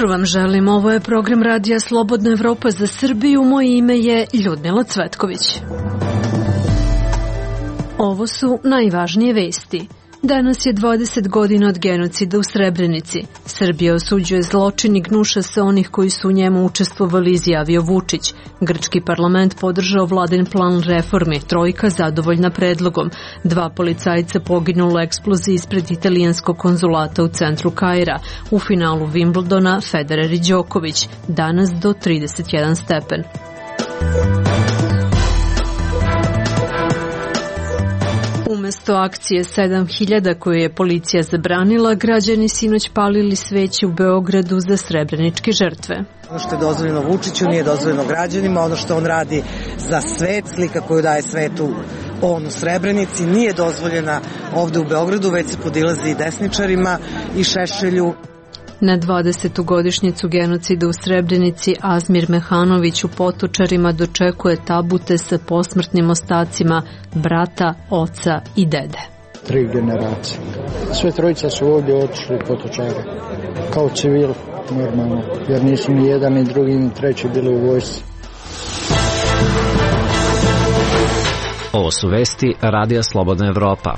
jutro vam želim. Ovo je program Radija Slobodna Evropa za Srbiju. Moje ime je Ljudmila Cvetković. Ovo su najvažnije vesti. Danas je 20 godina od genocida u Srebrenici. Srbija osuđuje zločin i gnuša se onih koji su u njemu učestvovali, izjavio Vučić. Grčki parlament podržao vladin plan reformi, trojka zadovoljna predlogom. 2 policajca poginulo u eksploziji ispred italijanskog konzulata u centru Kaira. U finalu Wimbledona Federer i Đoković, danas do 31 stepen. Umesto akcije 7000 koju je policija zabranila, građani sinoć palili sveće u Beogradu za srebreničke žrtve. Ono što je dozvoljeno Vučiću nije dozvoljeno građanima, ono što on radi za svet, slika koju daje svetu on u Srebrenici, nije dozvoljena ovde u Beogradu, već se podilazi desničarima i Šešelju. Na 20. godišnjicu genocida u Srebrenici Azmir Mehanović u Potočarima dočekuje tabute sa posmrtnim ostacima brata, oca i dede. 3 generacije. Sve trojica su ovdje otišli u Potočare. Kao civil, normalno. Jer nisu ni jedan, ni drugi, ni treći bili u vojsci. Ovo su vesti Radija Slobodna Evropa.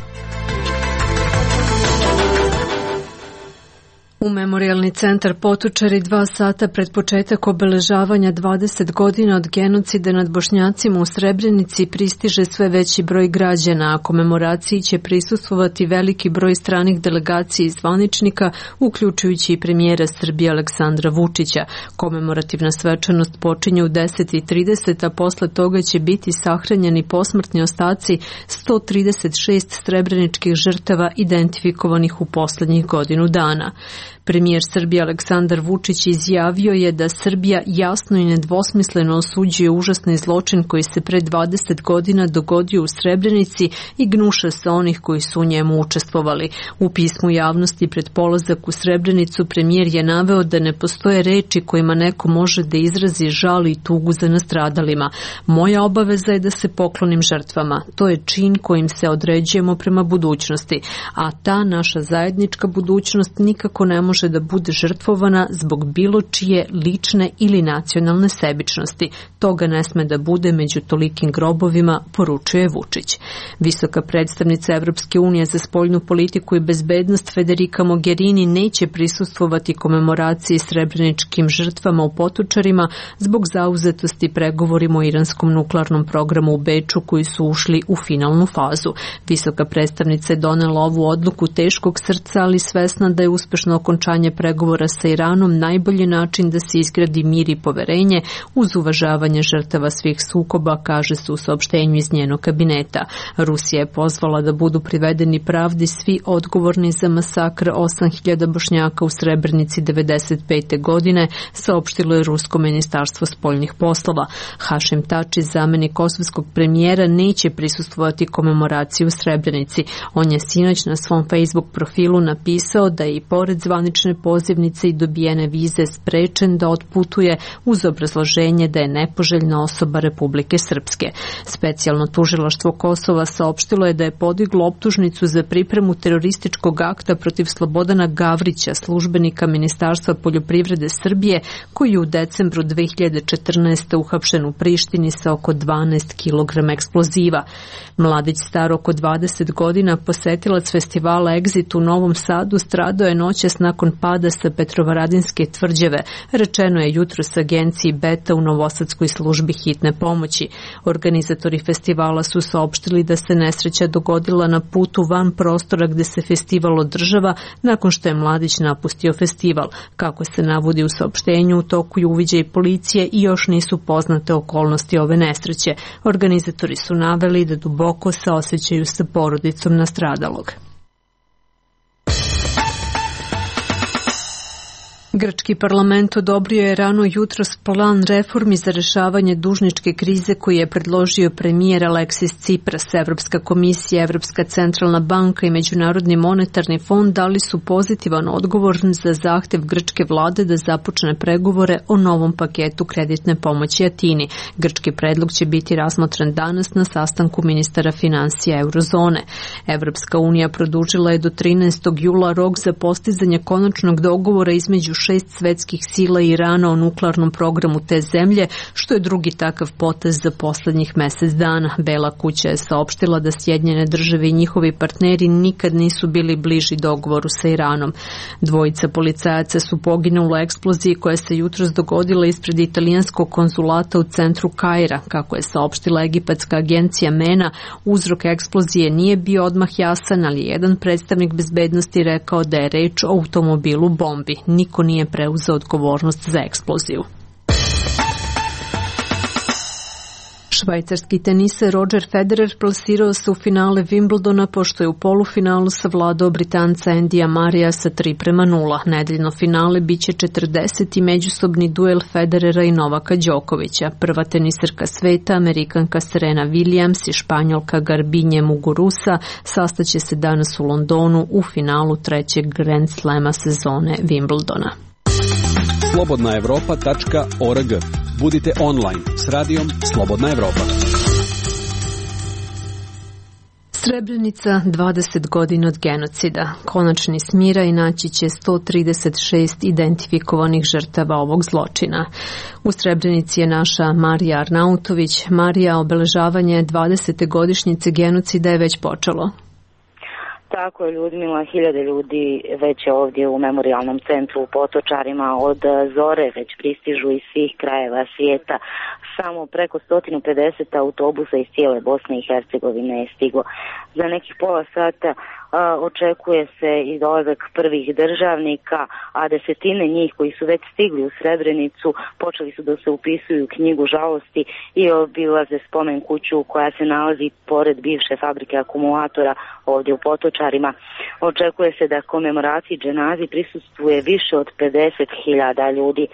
U Memorijalni centar Potočari 2 sata pred početak obeležavanja 20 godina od genocida nad Bošnjacima u Srebrenici pristiže sve veći broj građana, a komemoraciji će prisustvovati veliki broj stranih delegacija i zvaničnika, uključujući i premijera Srbije Aleksandra Vučića. Komemorativna svečanost počinje u 10:30, a posle toga će biti sahranjeni posmrtni ostaci 136 srebreničkih žrtava identifikovanih u poslednjih godinu dana. Premijer Srbije Aleksandar Vučić izjavio je da Srbija jasno i nedvosmisleno osuđuje užasni zločin koji se pre 20 godina dogodio u Srebrenici i gnuša se onih koji su u njemu učestvovali. U pismu javnosti pred polazak u Srebrenicu premijer je naveo da ne postoje reči kojima neko može da izrazi žal i tugu za nastradalima. Moja obaveza je da se poklonim žrtvama. To je čin kojim se određujemo prema budućnosti, a ta naša zajednička budućnost nikako ne može da bude žrtvovana zbog bilo čije lične ili nacionalne sebičnosti. Toga ne sme da bude među tolikim grobovima, poručuje Vučić. Visoka predstavnica Evropske unije za spoljnu politiku i bezbednost Federica Mogherini neće prisustvovati komemoraciji srebreničkim žrtvama u Potočarima zbog zauzetosti pregovorima o iranskom nuklearnom programu u Beču koji su ušli u finalnu fazu. Visoka predstavnica je donela ovu odluku teškog srca, ali svesna da je uspešno okončanje pregovora sa Iranom najbolji način da se izgradi mir i poverenje uz uvažavanje žrtava svih sukoba, kaže se u saopštenju iz njenog kabineta. Rusija je pozvala da budu privedeni pravdi svi odgovorni za masakr 8000 Bošnjaka u Srebrenici 1995. godine, saopštilo je Rusko ministarstvo spoljnih poslova. Hašim Tači, zamenik kosovskog premijera, neće prisustvovati komemoraciji u Srebrenici. On je sinoć na svom Facebook profilu napisao da je i pored zvanične pozivnice i dobijene vize sprečen da otputuje uz obrazloženje da je nepoželjna osoba Republike Srpske. Specijalno tužilaštvo Kosova saopštilo je da je podiglo optužnicu za pripremu terorističkog akta protiv Slobodana Gavrića, službenika Ministarstva poljoprivrede Srbije, koji je u decembru 2014. uhapšen u Prištini sa oko 12 kg eksploziva. Mladić star oko 20 godina, posetilac festivala Exit u Novom Sadu, stradao je noćas nakon pada sa Petrovaradinske tvrđave, rečeno je jutros agenciji Beta u Novosadskoj službi hitne pomoći. Organizatori festivala su saopštili da se nesreća dogodila na putu van prostora gde se festival održava nakon što je mladić napustio festival. Kako se navodi u saopštenju, u toku je uviđaj policije i još nisu poznate okolnosti ove nesreće. Organizatori su naveli da duboko saosećaju sa porodicom nastradalog. Grčki parlament odobrio je rano jutros plan reformi za rešavanje dužničke krize koji je predložio premijer Aleksis Tsipras. Evropska komisija, Evropska centralna banka i Međunarodni monetarni fond dali su pozitivan odgovor za zahtev grčke vlade da započne pregovore o novom paketu kreditne pomoći Atini. Grčki predlog će biti razmotren danas na sastanku ministara finansija eurozone. Evropska unija produžila je do 13. jula rok za postizanje konačnog dogovora između 6 svetskih sila Irana o nuklearnom programu te zemlje, što je drugi takav potez za poslednjih mesec dana. Bela kuća je saopštila da Sjedinjene države i njihovi partneri nikad nisu bili bliži dogovoru sa Iranom. Dvojica policajaca su poginuli u eksploziji koja se jutros dogodila ispred italijanskog konzulata u centru Kaira. Kako je saopštila egipatska agencija MENA, uzrok eksplozije nije bio odmah jasan, ali jedan predstavnik bezbednosti rekao da je reč o automobilu bombi. Niko nije preuzeo odgovornost za eksploziju. Švajcarski teniser Roger Federer plasirao se u finale Wimbledona pošto je u polufinalu savladao Britanca Andyja Murraya sa 3:0. Nedeljno finale biće 40. međusobni duel Federera i Novaka Đokovića. Prva teniserka sveta, Amerikanka Serena Williams i Španjolka Garbine Muguruza sastaće se danas u Londonu u finalu trećeg Grand Slema sezone Wimbledona. Slobodnaevropa.org. Budite online s radijom Slobodna Evropa. Srebrenica, 20 godina od genocida. Konačni smiraj naći će 136 identifikovanih žrtava ovog zločina. U Srebrenici je naša Marija Arnautović. Marija, obeležavanje 20. godišnjice genocida je već počelo. Tako je, Ljudmila, hiljade ljudi već je ovdje u memorijalnom centru u Potočarima od zore, već pristižu iz svih krajeva svijeta. Samo preko 150 autobusa iz cijele Bosne i Hercegovine je stiglo. Za nekih pola sata očekuje se i dolazak prvih državnika, a desetine njih koji su već stigli u Srebrenicu počeli su da se upisuju u knjigu žalosti i obilaze spomen kuću koja se nalazi pored bivše fabrike akumulatora ovdje u Potočarima. Očekuje se da komemoraciji dženazi prisustvuje više od 50.000 ljudi.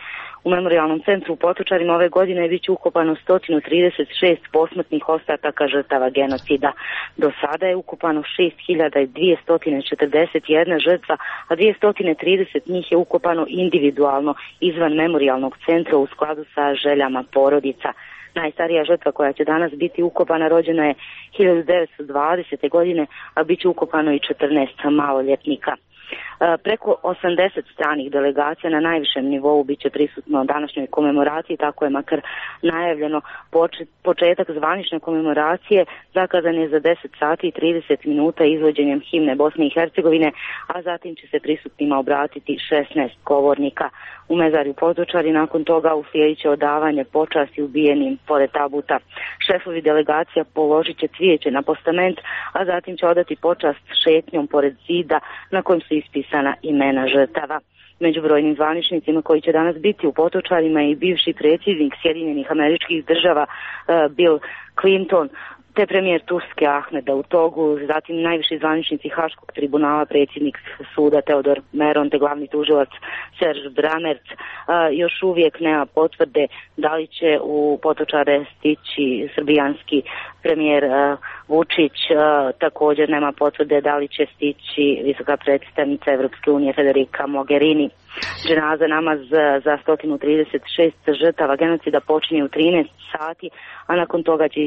U memorijalnom centru u Potočarima ove godine bit će ukopano 136 posmrtnih ostataka žrtava genocida. Do sada je ukopano 6.241 žrtva, a 230 njih je ukopano individualno izvan memorijalnog centra u skladu sa željama porodica. Najstarija žrtva koja će danas biti ukopana rođena je 1920. godine, a bit će ukopano i 14 maloljetnika. Preko 80 stranih delegacija na najvišem nivou bit će prisutno današnjoj komemoraciji, tako je makar najavljeno. Početak zvanične komemoracije zakazan je za 10 sati i 30 minuta izvođenjem himne Bosne i Hercegovine, a zatim će se prisutnima obratiti 16 govornika. U mezarju Potočari nakon toga uslijedit će odavanje počasti ubijenim pored tabuta. Šefovi delegacija položit će cvijeće na postament, a zatim će odati počast šetnjom pored zida na kojem su ispisana imena žrtava. Među brojnim zvaničnicima koji će danas biti u Potočarima i bivši predsjednik Sjedinjenih Američkih Država Bill Clinton, te premijer Turske Ahmed Davutoğlu, zatim najviši zvaničnici Haškog tribunala, predsjednik suda Teodor Meron te glavni tužilac Serge Brammertz. Još uvijek nema potvrde da li će u Potočare stići srbijanski premijer Vučić, također nema potvrde da li će stići visoka predstavnica Evropske unije Federica Mogherini. Dženaza namaz za 136 žrtava genocida počinje u 13 sati, a nakon toga će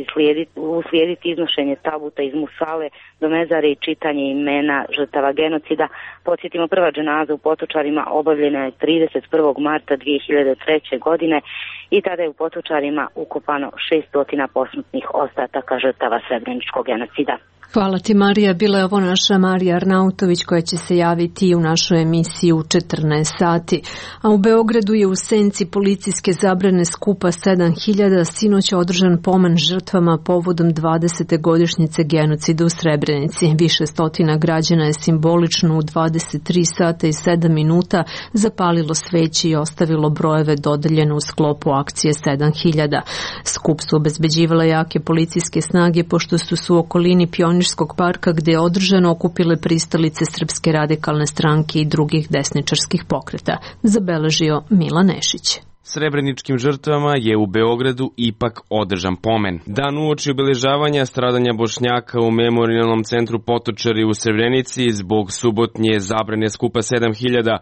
uslijediti iznošenje tabuta iz musale do mezare i čitanje imena žrtava genocida. Podsjetimo, prva dženaza u Potočarima obavljena je 31. marta 2003. godine i tada je u Potočarima ukopano 600 posmrtnih ostataka žrtava srebreničkog genocida. Hvala ti, Marija. Bila je ovo naša Marija Arnautović koja će se javiti u našoj emisiji u 14 sati. A u Beogradu je u senci policijske zabrane skupa 7000 sinoć održan pomen žrtvama povodom 20. godišnjice genocida u Srebrenici. Više stotina građana je simbolično u 23 sata i 7 minuta zapalilo sveće i ostavilo brojeve dodeljene u sklopu akcije 7000. Skup su obezbeđivale jake policijske snage pošto su u okolini Pionirskog parka gde je održano okupile pristalice Srpske radikalne stranke i drugih desničarskih pokreta, zabeležio Milan Nešić. Srebreničkim žrtvama je u Beogradu ipak održan pomen. Dan uoči obeležavanja stradanja Bošnjaka u memorijalnom centru Potočari u Srebrenici zbog subotnje zabrane skupa 7000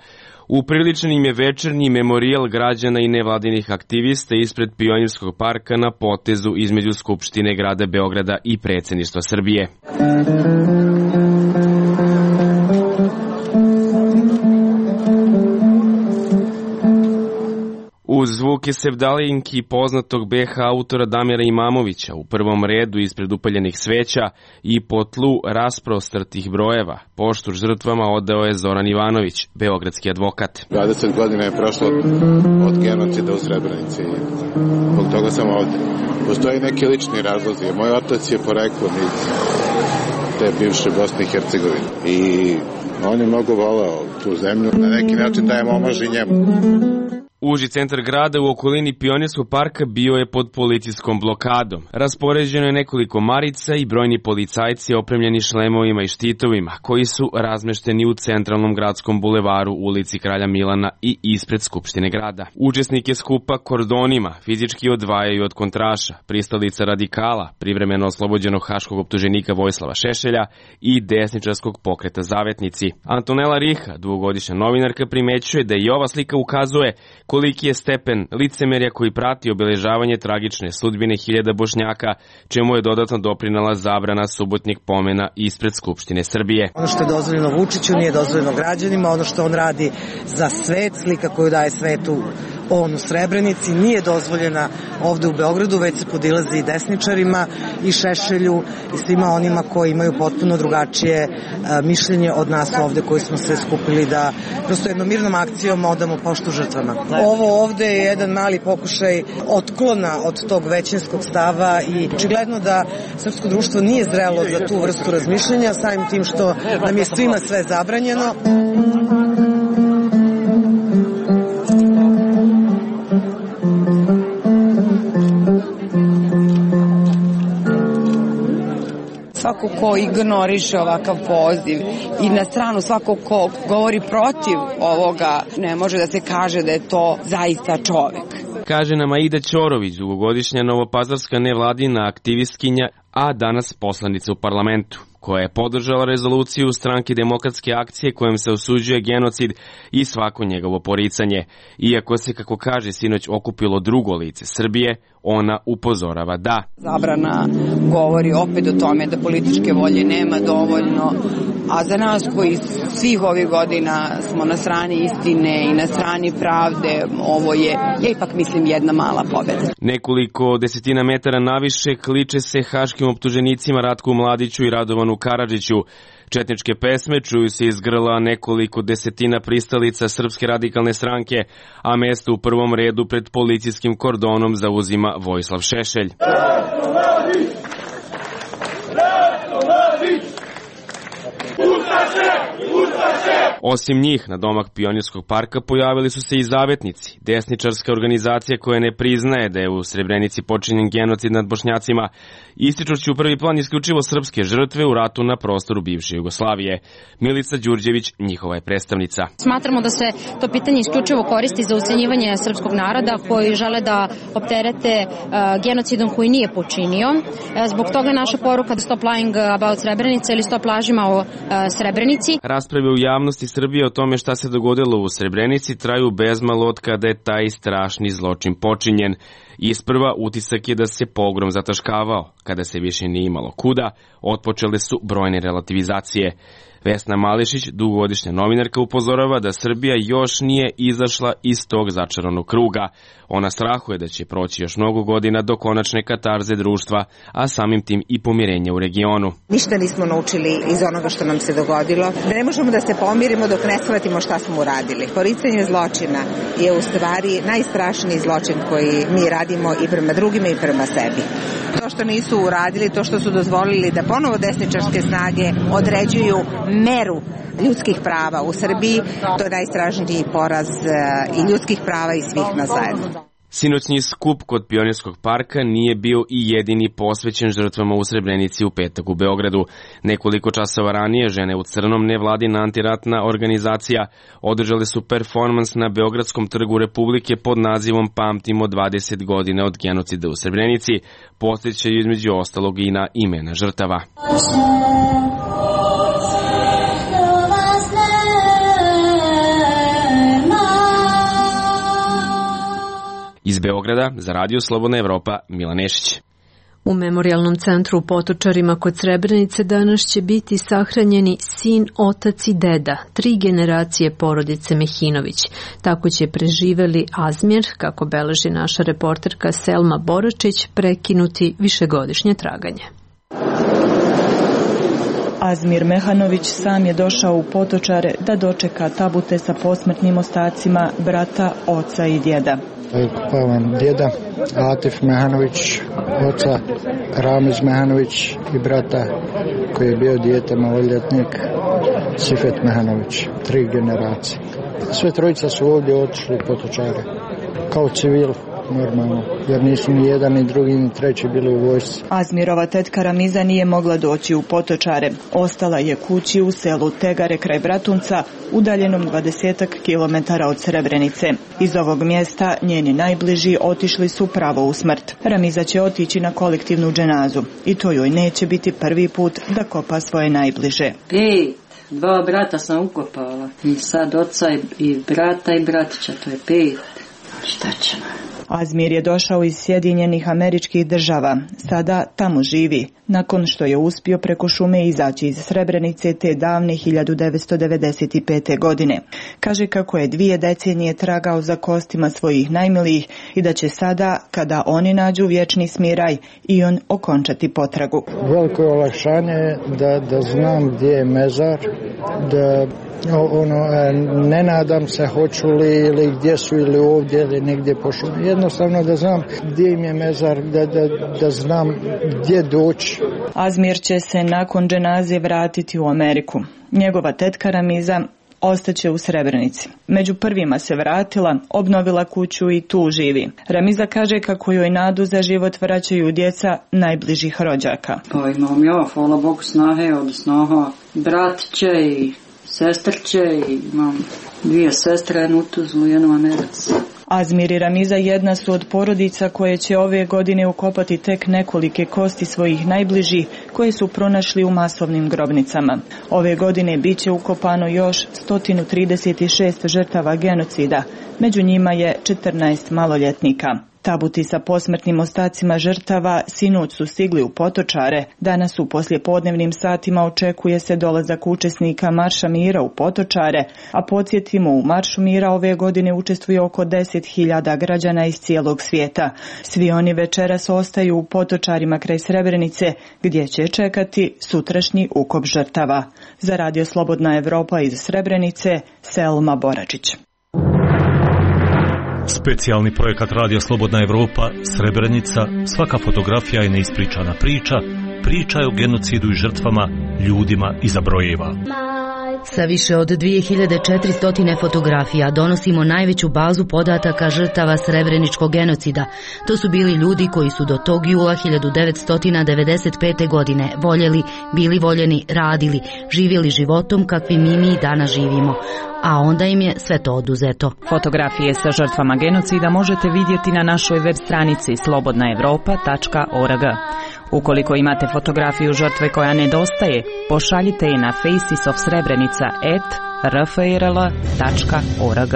upriličen im je večernji memorijal građana i nevladinih aktivista ispred Pionirskog parka na potezu između Skupštine grada Beograda i predsjedništva Srbije. Uz zvuke sevdalinki poznatog BH autora Damira Imamovića u prvom redu ispred upaljenih sveća i po tlu rasprostrtih brojeva, poštu žrtvama odao je Zoran Ivanović, beogradski advokat. 20 godina je prošlo od genocida u Srebrenici. Zbog toga sam ovde. Postoji neki lični razlozi. Moj otac je poreklom iz te bivše Bosne i Hercegovine. I on je mnogo voleo tu zemlju. Na neki način dajem omaž i njemu. Uži centar grada u okolini Pionirskog parka bio je pod policijskom blokadom. Raspoređeno je nekoliko marica i brojni policajci opremljeni šlemovima i štitovima, koji su razmešteni u centralnom gradskom bulevaru, ulici Kralja Milana i ispred Skupštine grada. Učesnike skupa kordonima fizički odvajaju od kontraša, pristalica radikala, privremeno oslobođenog haškog optuženika Vojislava Šešelja i desničarskog pokreta Zavetnici. Antonela Riha, dugogodišnja novinarka, primećuje da i ova slika ukazuje koliki je stepen licemerja koji prati obeležavanje tragične sudbine hiljada Bošnjaka, čemu je dodatno doprinela zabrana subotnjeg pomena ispred Skupštine Srbije. Ono što je dozvoljeno Vučiću nije dozvoljeno građanima, ono što on radi za svet, slika koju daje svetu on u Srebrenici, nije dozvoljena ovde u Beogradu, već se podilazi i desničarima i Šešelju i svima onima koji imaju potpuno drugačije mišljenje od nas ovde koji smo se skupili da prosto jednom mirnom akcijom odamo poštu žrtvama. Ovo ovde je jedan mali pokušaj otklona od tog većinskog stava i očigledno da srpsko društvo nije zrelo za tu vrstu razmišljanja, samim tim što nam je svima sve zabranjeno. Svako ko ignoriše ovakav poziv i na stranu svako ko govori protiv ovoga, ne može da se kaže da je to zaista čovek. Kaže nam Aida Ćorović, dugogodišnja novopazarska nevladina aktivistkinja, a danas poslanica u parlamentu, koja je podržala rezoluciju stranke Demokratske akcije kojom se osuđuje genocid i svako njegovo poricanje. Iako se, kako kaže, sinoć okupilo drugo lice Srbije, ona upozorava da zabrana govori opet o tome da političke volje nema dovoljno, a za nas koji svih ovih godina smo na strani istine i na strani pravde, ovo je, ja ipak mislim, jedna mala pobeda. Nekoliko desetina metara naviše kliče se haškim optuženicima Ratku Mladiću i Radovanu Karadžiću. Četničke pesme čuju se iz grla nekoliko desetina pristalica Srpske radikalne stranke, a mesto u prvom redu pred policijskim kordonom zauzima Vojislav Šešelj. Osim njih, na domak Pionirskog parka pojavili su se i Zavetnici, desničarska organizacija koja ne priznaje da je u Srebrenici počinjen genocid nad Bošnjacima, ističući u prvi plan isključivo srpske žrtve u ratu na prostoru bivše Jugoslavije. Milica Đurđević, njihova je predstavnica. Smatramo da se to pitanje isključivo koristi za ucenjivanje srpskog naroda koji žele da opterete genocidom koji nije počinio. Zbog toga naša poruka da Stop Lying About Srebrenica ili Stop lažima o Srebrenici. Rasprave u javnosti Srbije o tome šta se dogodilo u Srebrenici traju bezmalo od kada je taj strašni zločin počinjen. Isprva utisak je da se pogrom zataškavao, kada se više nije imalo kuda, otpočele su brojne relativizacije. Vesna Mališić, dugogodišnja novinarka, upozorava da Srbija još nije izašla iz tog začaranog kruga. Ona strahuje da će proći još mnogo godina do konačne katarze društva, a samim tim i pomirenja u regionu. Ništa nismo naučili iz onoga što nam se dogodilo. Da ne možemo da se pomirimo dok ne shvatimo šta smo uradili. Poricanje zločina je u stvari najstrašniji zločin koji mi radimo i prema drugima i prema sebi. To što nisu uradili, to što su dozvolili da ponovo desničarske snage određuju meru ljudskih prava u Srbiji, to je najstrašniji poraz i ljudskih prava i svih nas zajedno. Sinoćni skup kod Pionirskog parka nije bio i jedini posvećen žrtvama u Srebrenici u petak u Beogradu. Nekoliko časova ranije žene u crnom, nevladina antiratna organizacija, održale su performans na Beogradskom trgu Republike pod nazivom Pamtimo 20 godina od genocida u Srebrenici, podsjećaju između ostalog i na imena žrtava. Iz Beograda za Radio Slobodna Evropa, Milan Nešić. U memorijalnom centru u Potočarima kod Srebrenice danas će biti sahranjeni sin, otac i deda, 3 generacije porodice Mehinović. Tako će preživeli Azmir, kako beleži naša reporterka Selma Boračić, prekinuti višegodišnje traganje. Azmir Mehanović sam je došao u Potočare da dočeka tabute sa posmrtnim ostacima brata, oca i djeda. Ukopavam djeda Atif Mehanović, oca Ramiz Mehanović i brata koji je bio dijete maloljetnik Sifet Mehanović, 3 generacije. Sve trojica su ovdje otišli u Potočare kao civil. Normalno, jer nisu ni jedan, ni drugi, ni treći bili u vojsci. Azmirova tetka Ramiza nije mogla doći u Potočare. Ostala je kući u selu Tegare kraj Bratunca, udaljenom 20 kilometara od Srebrenice. Iz ovog mjesta njeni najbliži otišli su pravo u smrt. Ramiza će otići na kolektivnu dženazu i to joj neće biti prvi put da kopa svoje najbliže. 2 brata sam ukopala i sad oca i brata i bratića, to je 5. Šta ćemo? Azmir je došao iz Sjedinjenih Američkih Država. Sada tamo živi, nakon što je uspio preko šume izaći iz Srebrenice te davne 1995. godine. Kaže kako je 2 decenije tragao za kostima svojih najmilijih i da će sada, kada oni nađu vječni smiraj, i on okončati potragu. Veliko olakšanje je da znam gdje je mezar, da ne nadam se hoću li ili gdje su ili ovdje ili negdje po šumi. Jednostavno da znam gdje im je mezar, da znam gdje doći. Azmir će se nakon dženaze vratiti u Ameriku. Njegova tetka Ramiza ostaće u Srebrenici. Među prvima se vratila, obnovila kuću i tu živi. Ramiza kaže kako joj nadu za život vraćaju djeca najbližih rođaka. Pa imam ja, hvala Bogu, snahe od snaha bratće i sestrće i imam 2 sestre, jednu u Tuzlu, jednu u Americi. Azmir i Ramiza jedna su od porodica koje će ove godine ukopati tek nekolike kosti svojih najbližih koje su pronašli u masovnim grobnicama. Ove godine bit će ukopano još 136 žrtava genocida, među njima je 14 maloljetnika. Tabuti sa posmrtnim ostacima žrtava sinoć su stigli u Potočare. Danas u poslijepodnevnim satima očekuje se dolazak učesnika Marša mira u Potočare, a podsjetimo, u Maršu mira ove godine učestvuje oko 10.000 građana iz cijelog svijeta. Svi oni večeras ostaju u Potočarima kraj Srebrenice, gdje će čekati sutrašnji ukop žrtava. Za Radio Slobodna Evropa iz Srebrenice, Selma Boračić. Specijalni projekat Radio Slobodna Evropa, Srebrenica, svaka fotografija je neispričana priča, priča je o genocidu i žrtvama, ljudima iza brojeva. Sa više od 2400 fotografija donosimo najveću bazu podataka žrtava srebreničkog genocida. To su bili ljudi koji su do tog jula 1995. godine voljeli, bili voljeni, radili, živjeli životom kakvim mi danas živimo. A onda im je sve to oduzeto. Fotografije sa žrtvama genocida možete vidjeti na našoj web stranici slobodnaevropa.org. Ukoliko imate fotografiju žrtve koja nedostaje, pošaljite je na facesofsrebrenica@rfrl.org.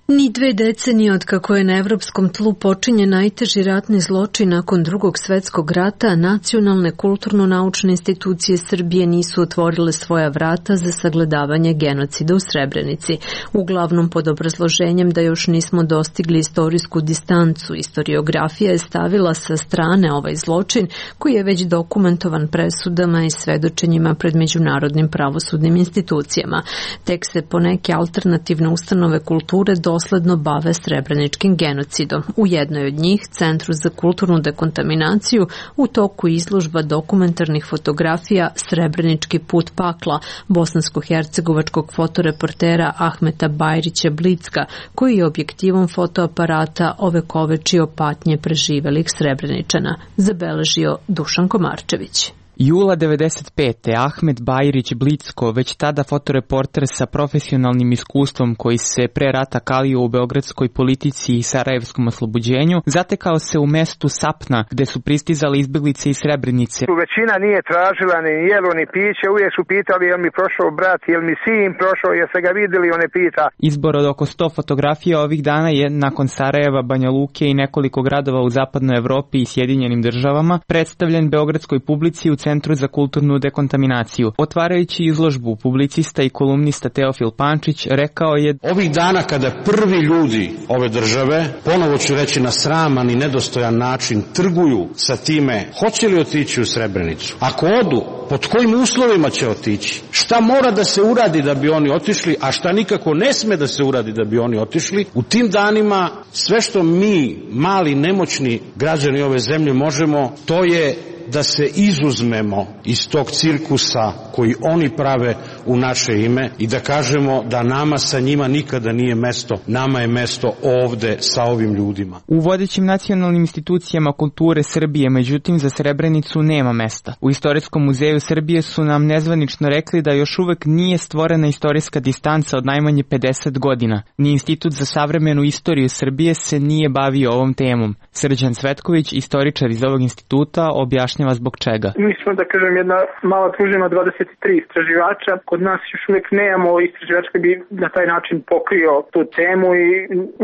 Ni 2 decenije od kako je na evropskom tlu počinjen najteži ratni zločin nakon Drugog svjetskog rata, nacionalne kulturno-naučne institucije Srbije nisu otvorile svoja vrata za sagledavanje genocida u Srebrenici, uglavnom pod obrazloženjem da još nismo dostigli istorijsku distancu. Historiografija je stavila sa strane ovaj zločin koji je već dokumentovan presudama i svedočenjima pred međunarodnim pravosudnim institucijama. Tek se poneke alternativne ustanove kulture dosledno bave srebreničkim genocidom. U jednoj od njih, Centru za kulturnu dekontaminaciju, u toku izložba dokumentarnih fotografija Srebrenički put pakla bosansko-hercegovačkog fotoreportera Ahmeta Bajrića Blicka, koji je objektivom fotoaparata ovekovečio patnje preživelih Srebreničana, zabeležio Dušan Komarčević. Jula 95. Ahmet Bajrić Blicko, već tada fotoreporter sa profesionalnim iskustvom koji se pre rata kalio u beogradskoj politici i sarajevskom oslobođenju, zatekao se u mestu Sapna, gde su pristizali izbeglice iz Srebrenice. Većina nije tražila ni jelo ni piće, uvijek su pitali jel mi prošao brat, jel mi sin prošao, jel se ga vidjeli, on ne pita. Izbor od oko 100 fotografija ovih dana je, nakon Sarajeva, Banja Luke i nekoliko gradova u zapadnoj Evropi i Sjedinjenim državama, predstavljen beogradskoj publici u Centru za kulturnu dekontaminaciju. Otvarajući izložbu, publicista i kolumnista Teofil Pančić rekao je: ovih dana kada prvi ljudi ove države, ponovo ću reći na sraman i nedostojan način, trguju sa time hoće li otići u Srebrenicu. Ako odu, pod kojim uslovima će otići? Šta mora da se uradi da bi oni otišli, a šta nikako ne sme da se uradi da bi oni otišli? U tim danima sve što mi, mali, nemoćni građani ove zemlje možemo, to je da se izuzmemo iz tog cirkusa koji oni prave u naše ime i da kažemo da nama sa njima nikada nije mesto, nama je mesto ovde sa ovim ljudima. U vodećim nacionalnim institucijama kulture Srbije, međutim, za Srebrenicu nema mesta. U Istorijskom muzeju Srbije su nam nezvanično rekli da još uvek nije stvorena istorijska distanca od najmanje 50 godina. Ni Institut za savremenu istoriju Srbije se nije bavio ovom temom. Srđan Cvetković, istoričar iz ovog instituta, objašnjava zbog čega. Mi smo, da kažem, jedna mala družina 23 istraživača. Kod nas još uvijek nemamo istraživač koji bi na taj način pokrio tu temu i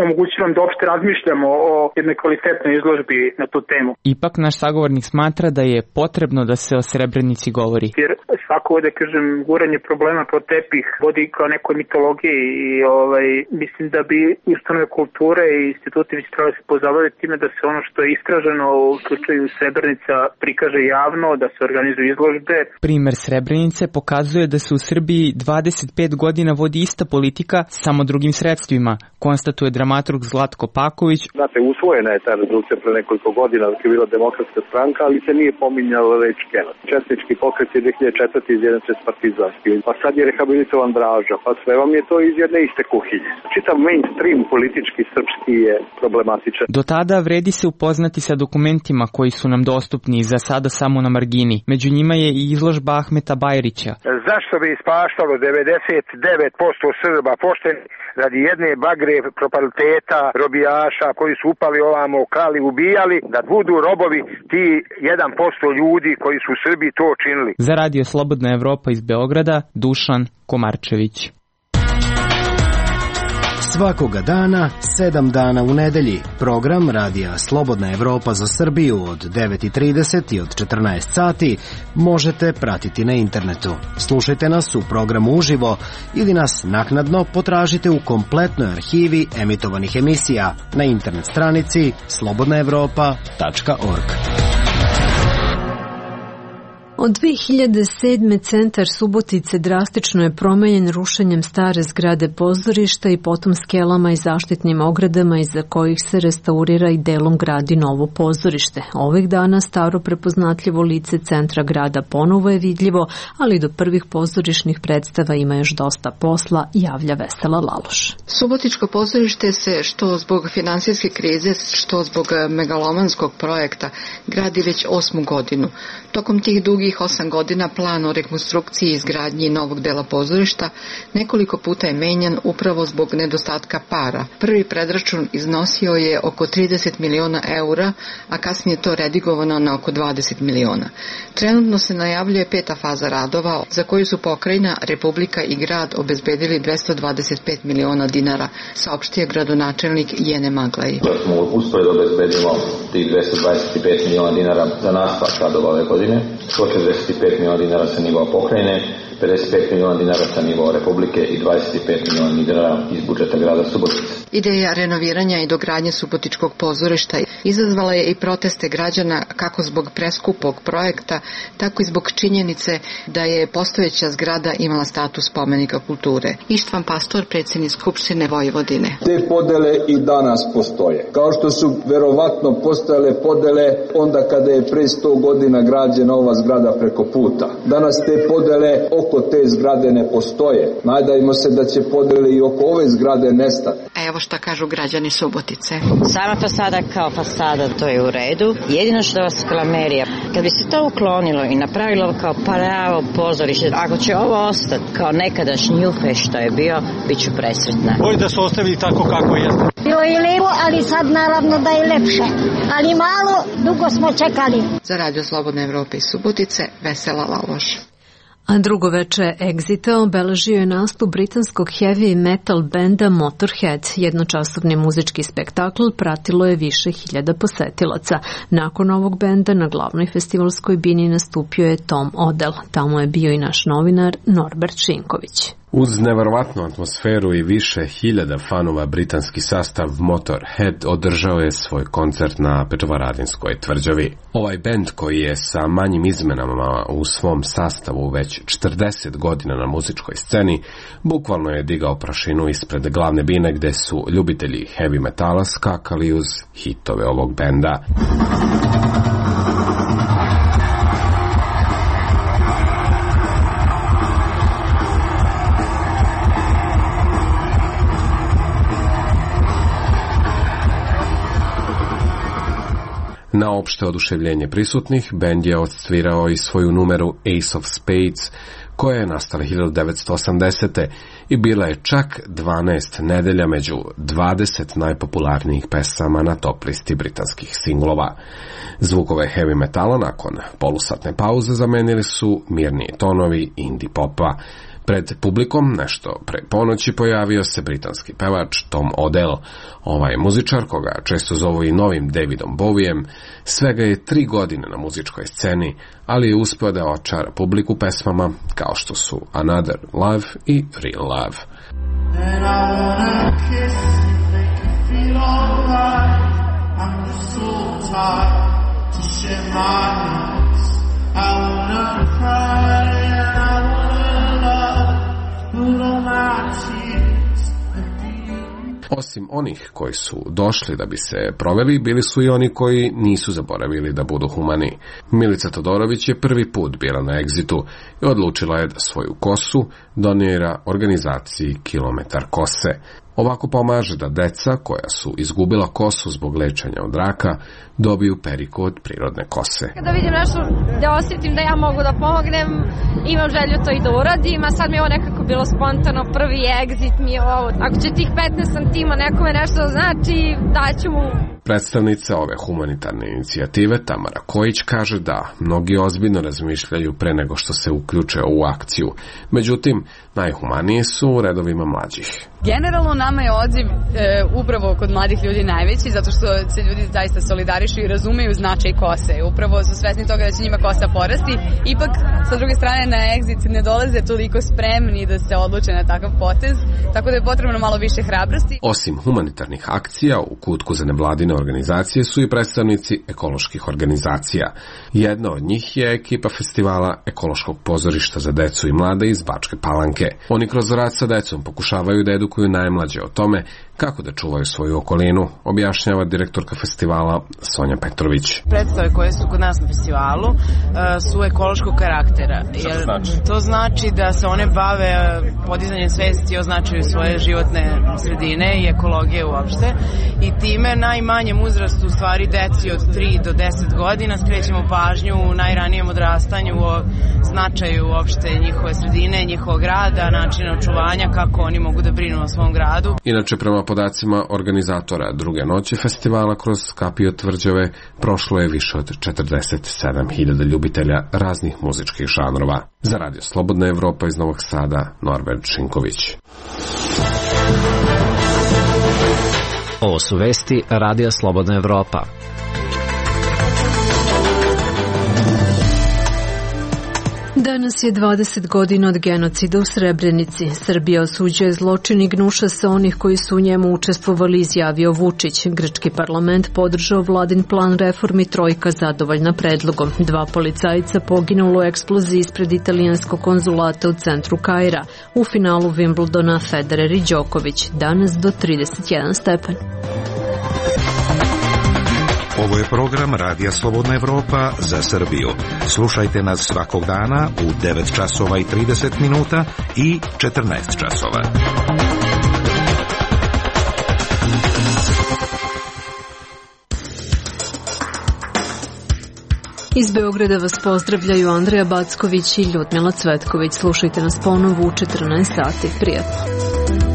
omogućilo nam da uopšte razmišljamo o jednoj kvalitetnoj izložbi na tu temu. Ipak naš sagovornik smatra da je potrebno da se o Srebrenici govori. Jer svako, da kažem, guranje problema pod tepih vodi kao nekoj mitologiji i mislim da bi ustanove kulture i instituti bi trebali se pozabaviti time da se ono što je istraženo u slučaju Srebrenica prikaže javno, da se organizuju izložbe. Primer Srebrenice pokazuje da se u Srbiji 25 godina vodi ista politika, samo drugim sredstvima, konstatuje dramaturg Zlatko Paković. Znate, usvojena je ta rezolucija pre nekoliko godina dok je bila Demokratska stranka, ali se nije pominjala reč genocid. Četnički pokret je 2004. izjednačen s partizanskim, pa sad je rehabilitovan Draža, pa sve vam je to iz jedne iste kuhinje. Čitav mainstream politički srpski je problematičan. Do tada vredi se upoznati sa dokumentima koji su nam dostupni, za sada samo na margini. Među njima je i izložba Ahmeta Bajrića. Zašto bi ispaštalo 99% Srba pošteni radi jedne bagre propaliteta, robijaša koji su upali ovamo, krali, ubijali, da budu robovi ti 1% ljudi koji su u Srbiji to činili. Za Radio Slobodna Evropa iz Beograda, Dušan Komarčević. Svakoga dana, 7 dana u nedelji, program Radija Slobodna Evropa za Srbiju od 9:30 i od 14 sati možete pratiti na internetu. Slušajte nas u programu uživo ili nas naknadno potražite u kompletnoj arhivi emitovanih emisija na internet stranici slobodnaevropa.org. Od 2007. centar Subotice drastično je promenjen rušenjem stare zgrade pozorišta i potom skelama i zaštitnim ogradama iza kojih se restaurira i delom gradi novo pozorište. Ovih dana staro prepoznatljivo lice centra grada ponovo je vidljivo, ali do prvih pozorišnih predstava ima još dosta posla, javlja Vesela Laloš. Subotičko pozorište se što zbog finansijske krize, što zbog megalomanskog projekta gradi već 8. godinu. Tokom tih dugih 8 godina plan o rekonstrukciji i izgradnji novog dela pozorišta nekoliko puta je menjan upravo zbog nedostatka para. Prvi predračun iznosio je oko 30 miliona eura, a kasnije to redigovano na oko 20 miliona. Trenutno se najavljuje 5. faza radova za koju su pokrajina, Republika i grad obezbedili 225 miliona dinara, saopštio gradonačelnik Jene Maglaj. Da smo uspeli da obezbedimo tih 225 miliona dinara za nastavak radova ove godine, 145 miliona dinara sa nivoa pokrajine, 55 miliona dinara sa nivoa Republike i 25 miliona dinara iz budžeta grada Subotice. Ideja renoviranja i dogradnje Subotičkog pozorišta izazvala je i proteste građana kako zbog preskupog projekta, tako i zbog činjenice da je postojeća zgrada imala status spomenika kulture. Ištvan Pastor, predsjednik Skupštine Vojvodine. Te podele i danas postoje. Kao što su verovatno postojale podele onda kada je pre 100 godina građena ova zgrada preko puta. Danas te podele oko oko te zgrade ne postoje. Nadajmo se da će podele i oko ove zgrade nestati. Evo šta kažu građani Subotice. Sama fasada kao fasada, to je u redu. Jedino što vas klamerija, kad bi se to uklonilo i napravilo kao pravo pozorište, ako će ovo ostati kao nekadašnji Jufe što je bio, bit ću presretna. Bolje da su ostavili tako kako jeste. Bilo je lepo, ali sad naravno da je lepše. Ali malo, dugo smo čekali. Za Radio Slobodne Evrope iz Subotice, Vesela Laloš. A drugo veče Exita obeležio je nastup britanskog heavy metal benda Motorhead. Jednočasovni muzički spektakl pratilo je više hiljada posetilaca. Nakon ovog benda na glavnoj festivalskoj bini nastupio je Tom Odell. Tamo je bio i naš novinar Norbert Šinković. Uz neverovatnu atmosferu i više hiljada fanova britanski sastav Motorhead održao je svoj koncert na Petrovaradinskoj tvrđavi. Ovaj bend koji je sa manjim izmenama u svom sastavu već 40 godina na muzičkoj sceni, bukvalno je digao prašinu ispred glavne bine gde su ljubitelji heavy metala skakali uz hitove ovog benda. Na opšte oduševljenje prisutnih, bend je odsvirao i svoju numeru Ace of Spades, koja je nastala 1980. i bila je čak 12 nedelja među 20 najpopularnijih pesama na top listi britanskih singlova. Zvukove heavy metala nakon polusatne pauze zamenili su mirniji tonovi indie popa. Pred publikom, nešto pre ponoći, pojavio se britanski pevač Tom Odell. Ovaj muzičar, koga često zovu i novim Davidom Bowijem, svega je 3 godine na muzičkoj sceni, ali je uspeo da očara publiku pesmama kao što su Another Love i Real Love. And I wanna kiss you, make you feel alright. I'm just so tired to share my nights. I wanna cry and I wanna love, put all my tears at the end. Osim onih koji su došli da bi se proveli, bili su i oni koji nisu zaboravili da budu humani. Milica Todorović je prvi put bila na Exitu i odlučila je da svoju kosu donira organizaciji Kilometar kose. Ovako pomaže da deca koja su izgubila kosu zbog lečenja od raka dobiju periku od prirodne kose. Kada vidim nešto da osjetim da ja mogu da pomognem, imam želju to i da uradim, a sad mi je ovo nekako bilo spontano, prvi Exit mi je ovo. Ako će tih 15 santima nekome nešto znači, daću mu. Predstavnica ove humanitarne inicijative Tamara Kojić kaže da mnogi ozbiljno razmišljaju pre nego što se uključe u akciju. Međutim, najhumanije su u redovima mlađih. Generalno nama je odziv upravo kod mladih ljudi najveći, zato što se ljudi zaista solidarišu i razumeju značaj kose. Upravo su svesni toga da će njima kosa porasti. Ipak, sa druge strane, na Exit ne dolaze toliko spremni da se odluče na takav potez, tako da je potrebno malo više hrabrosti. Osim humanitarnih akcija, u kutku za nevladine organizacije su i predstavnici ekoloških organizacija. Jedna od njih je ekipa festivala Ekološkog pozorišta za decu i mlade iz Bačke Palanke. Oni kroz rad sa decom pokušavaju da edukuju najmlađe o tome kako da čuvaju svoju okolinu, objašnjava direktorka festivala Sonja Petrović. Predstave koje su kod nas na festivalu su ekološkog karaktera. Šta to znači? To znači da se one bave podizanjem svesti o značaju svoje životne sredine i ekologije uopšte. I time najmanjem uzrastu, u stvari deci od 3 do 10 godina, skrećemo pažnju u najranijem odrastanju o značaju uopšte njihove sredine, njihovog grada, načina očuvanja, kako oni mogu da brinu o svom gradu. Inače, prema podacima organizatora druge noći festivala kroz Skapio tvrđave prošlo je više od 47.000 ljubitelja raznih muzičkih žanrova. Za Radio Slobodna Evropa iz Novog Sada, Norbert Šinković. Ovo su vesti Radija Slobodna Evropa. Danas je 20 godina od genocida u Srebrenici. Srbija osuđuje zločin i gnuša se onih koji su u njemu učestvovali, izjavio Vučić. Grčki parlament podržao vladin plan reformi, trojka zadovoljna predlogom. 2 policajca poginulo u eksploziji ispred italijanskog konzulata u centru Kaira. U finalu Wimbledona Federer i Đoković. Danas do 31 stepen. Ovo je program Radija Slobodna Evropa za Srbiju. Slušajte nas svakog dana u 9 časova i 30 minuta i 14 časova. Iz Beograda vas pozdravljaju Andreja Backović i Ljudmila Cvetković. Slušajte nas ponovo u 14 sati. Prijatno.